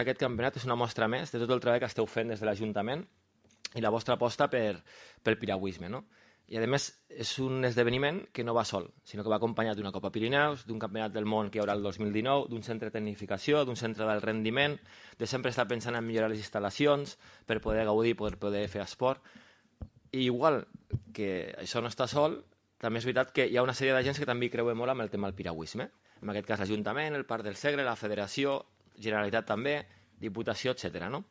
Aquest campionat és una mostra més de tot el treball que esteu fent des de l'Ajuntament i la vostra aposta pel piragüisme, no? I, a més, és un esdeveniment que no va sol, sinó que va acompanyat d'una Copa Pirineus, d'un campionat del món que hi haurà el 2019, d'un centre de tecnificació, d'un centre del rendiment, de sempre estar pensant en millorar les instal·lacions per poder gaudir, per poder fer esport. I igual que això no està sol, també és veritat que hi ha una sèrie d'agents que també hi creuen molt amb el tema del piragüisme. En aquest cas l'Ajuntament, el Parc del Segre, la Federació, Generalitat també, Diputació, etc. No?